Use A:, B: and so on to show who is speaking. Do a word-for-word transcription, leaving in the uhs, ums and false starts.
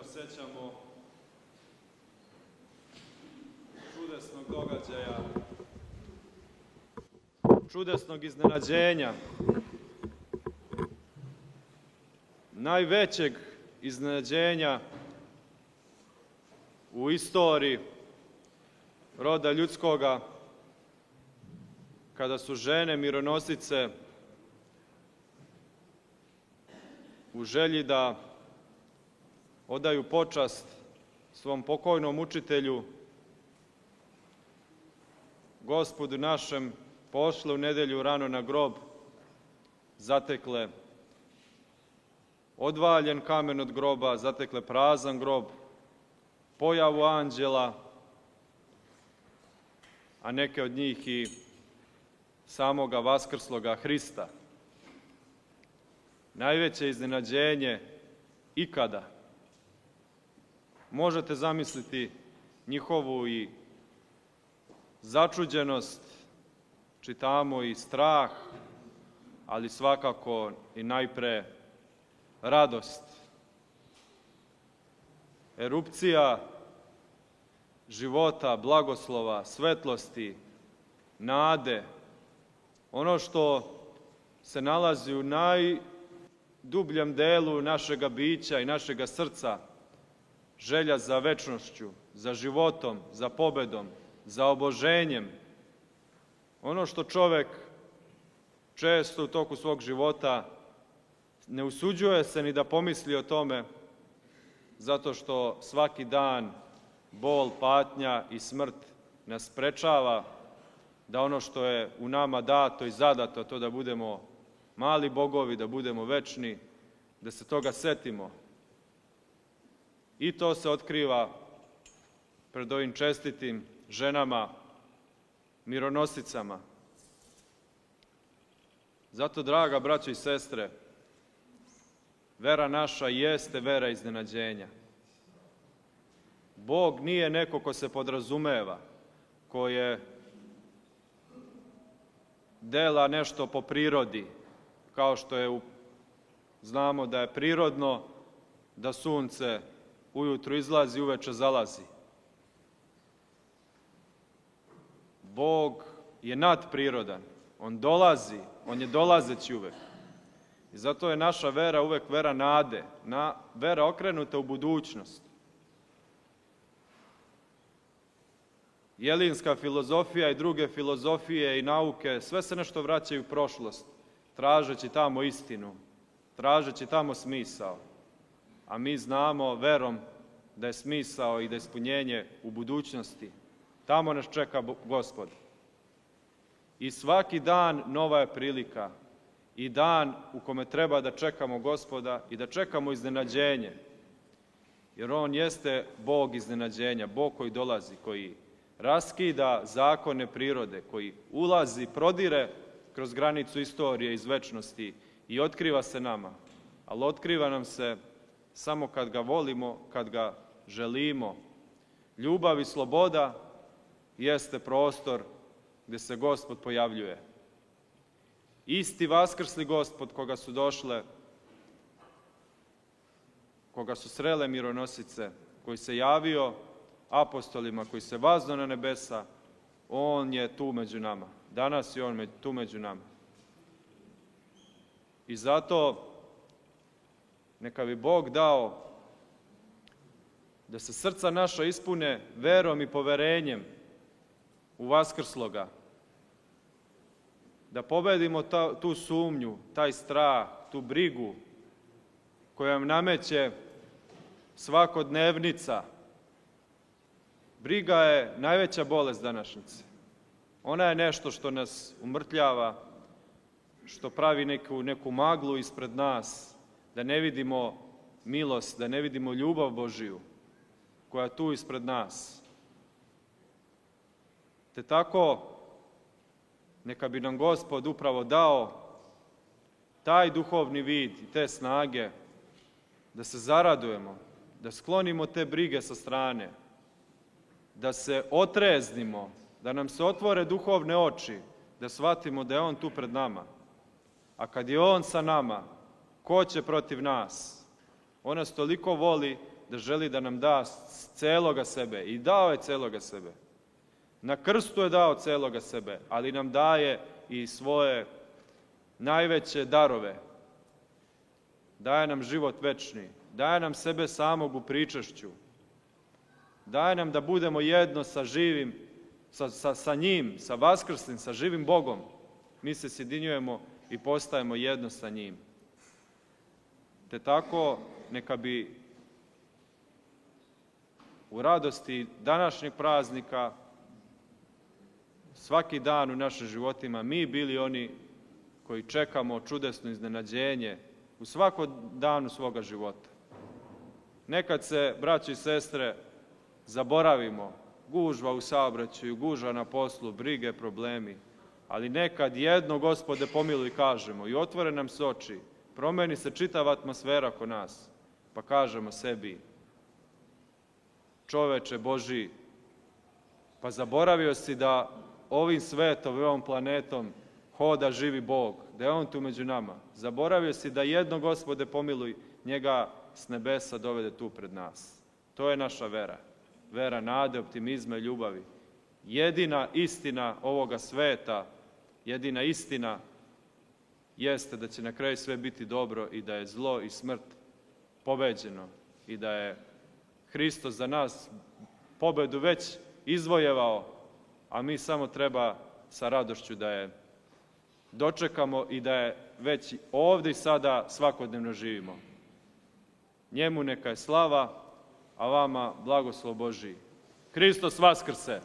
A: sećamo čudesnog događaja, čudesnog iznenađenja, najvećeg iznenađenja u istoriji roda ljudskoga, kada su žene mironosice u želji da odaju počast svom pokojnom učitelju, Gospodu našem, pošle u nedelju rano na grob, zatekle odvaljen kamen od groba, zatekle prazan grob, pojavu anđela, a neke od njih i samoga vaskrsloga Hrista. Najveće iznenađenje ikada. Možete zamisliti njihovu i začuđenost, čitamo i strah, ali svakako i najpre radost. Erupcija života, blagoslova, svetlosti, nade, ono što se nalazi u najdubljem delu našega bića i našega srca, želja za večnošću, za životom, za pobedom, za oboženjem. Ono što čovek često u toku svog života ne usuđuje se ni da pomisli o tome, zato što svaki dan bol, patnja i smrt nas sprečava da ono što je u nama dato i zadato, to da budemo mali bogovi, da budemo večni, da se toga setimo. I to se otkriva pred ovim čestitim ženama, mironosicama. Zato, draga braćo i sestre, vera naša jeste vera iznenađenja. Bog nije neko ko se podrazumeva, ko je dela nešto po prirodi, kao što je, u, znamo da je prirodno da sunce ujutru izlazi, uveče zalazi. Bog je nadprirodan, on dolazi, on je dolazeći uvek. I zato je naša vera uvek vera nade, na, vera okrenuta u budućnost. Jelinska filozofija i druge filozofije i nauke, sve se nešto vraćaju u prošlost, tražeći tamo istinu, tražeći tamo smisao. A mi znamo verom da je smisao i da je ispunjenje u budućnosti. Tamo nas čeka Gospod. I svaki dan nova je prilika i dan u kome treba da čekamo Gospoda i da čekamo iznenađenje. Jer on jeste Bog iznenađenja, Bog koji dolazi, koji raskida zakone prirode, koji ulazi, prodire kroz granicu istorije iz večnosti i otkriva se nama. Ali otkriva nam se samo kad ga volimo, kad ga želimo. Ljubav i sloboda jeste prostor gde se Gospod pojavljuje. Isti vaskrsli Gospod koga su došle, koga su srele mironosice, koji se javio apostolima, koji se vazno na nebesa, on je tu među nama. Danas je on tu među nama. I zato neka bi Bog dao da se srca naša ispune verom i poverenjem u vaskrsloga, da pobedimo ta, tu sumnju, taj strah, tu brigu koja nam nameće svakodnevnica. Briga je najveća bolest današnjice. Ona je nešto što nas umrtljava, što pravi neku, neku maglu ispred nas, da ne vidimo milost, da ne vidimo ljubav Božiju koja je tu ispred nas. Te tako, neka bi nam Gospod upravo dao taj duhovni vid i te snage da se zaradujemo, da sklonimo te brige sa strane, da se otreznimo, da nam se otvore duhovne oči, da shvatimo da je on tu pred nama. A kad je on sa nama, ko će protiv nas? On nas toliko voli da želi da nam da celoga sebe i dao je celoga sebe. Na krstu je dao celoga sebe, ali nam daje i svoje najveće darove. Daje nam život večni, daje nam sebe samog u pričašću, daje nam da budemo jedno sa živim, sa, sa, sa njim, sa vaskrslim, sa živim Bogom. Mi se sjedinjujemo i postajemo jedno sa njim. Te tako neka bi u radosti današnjeg praznika svaki dan u našim životima mi bili oni koji čekamo čudesno iznenađenje u svakom danu svoga života. Nekad se, braći i sestre, zaboravimo, gužva u saobraćaju, gužva na poslu, brige, problemi, ali nekad jedno, Gospode, pomiluj, kažemo i otvore nam se oči, promeni se čitava atmosfera oko nas, pa kažemo sebi: čoveče Božji, pa zaboravio si da ovim svetom i ovom planetom hoda živi Bog, da je On tu među nama. Zaboravio si da jedno, Gospode, pomiluj, njega s nebesa dovede tu pred nas. To je naša vera. Vera nade, optimizma i ljubavi. Jedina istina ovoga sveta, jedina istina jeste da će na kraju sve biti dobro i da je zlo i smrt pobeđeno i da je Hristos za nas pobedu već izvojevao, a mi samo treba sa radošću da je dočekamo i da je već ovdje i sada svakodnevno živimo. Njemu neka je slava, a vama blagoslov Božji. Hristos vaskrse!